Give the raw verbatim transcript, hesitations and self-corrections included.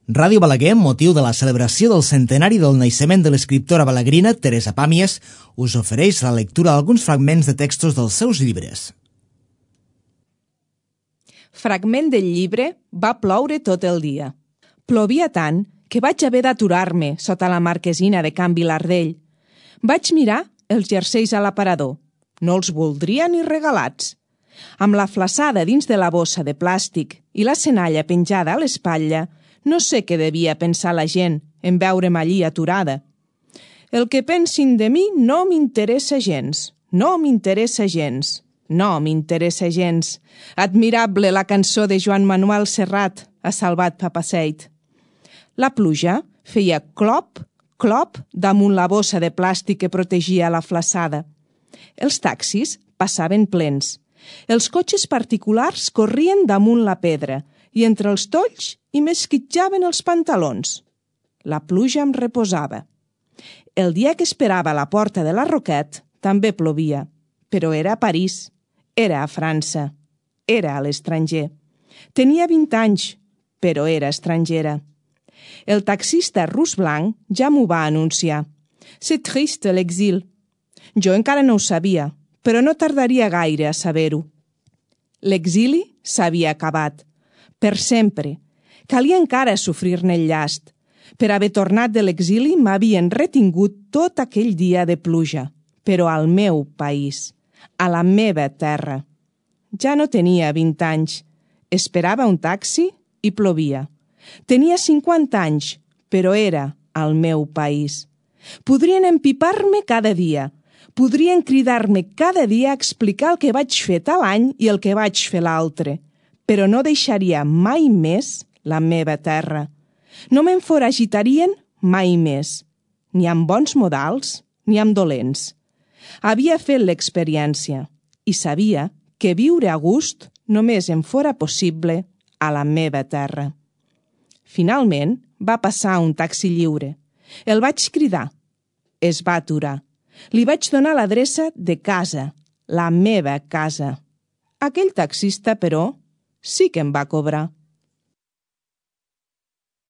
Ràdio Balaguer, amb motiu de la celebració del centenari del naixement de l'escriptora balaguerina Teresa Pàmies, us ofereix la lectura d'alguns fragments de textos dels seus llibres. Fragment del llibre Va ploure tot el dia. Plovia tant que vaig haver d'aturar-me sota la marquesina de Can Vilardell. Vaig mirar els jerseis a l'aparador. No els voldria ni regalats. Amb la flaçada dins de la bossa de plàstic i la senalla penjada a l'espatlla, no sé què devia pensar la gent en veure'm allí aturada. El que pensin de mi no m'interessa gens, no m'interessa gens, no m'interessa gens. Admirable la cançó de Joan Manuel Serrat, ha salvat Papaseit. La pluja feia clop, clop damunt la bossa de plàstic que protegia la flaçada. Els taxis passaven plens. Els cotxes particulars corrien damunt la pedra i entre els tolls hi m'esquitjaven els pantalons. La pluja em reposava. El dia que esperava a la porta de la Roquette també plovia, però era a París, era a França, era a l'estranger. Tenia vint anys, però era estrangera. El taxista rus blanc ja m'ho va anunciar. C'est triste l'exil. Jo encara no ho sabia, però no tardaria gaire a saber-ho. L'exili s'havia acabat. Per sempre. Calia encara sofrir-ne el llast. Per haver tornat de l'exili m'havien retingut tot aquell dia de pluja, però al meu país, a la meva terra. Ja no tenia vint anys. Esperava un taxi i plovia. Tenia cinquanta anys, però era al meu país. Podrien empipar-me cada dia. Podrien cridar-me cada dia a explicar el que vaig fer tal any i el que vaig fer l'altre, però no deixaria mai més la meva terra. No me'n foragitarien mai més, ni amb bons modals ni amb dolents. Havia fet l'experiència i sabia que viure a gust només em fora possible a la meva terra. Finalment va passar un taxi lliure. El vaig cridar. Es va aturar. Li vaig donar l'adreça de casa, la meva casa. Aquell taxista, però, sí que em va cobrar.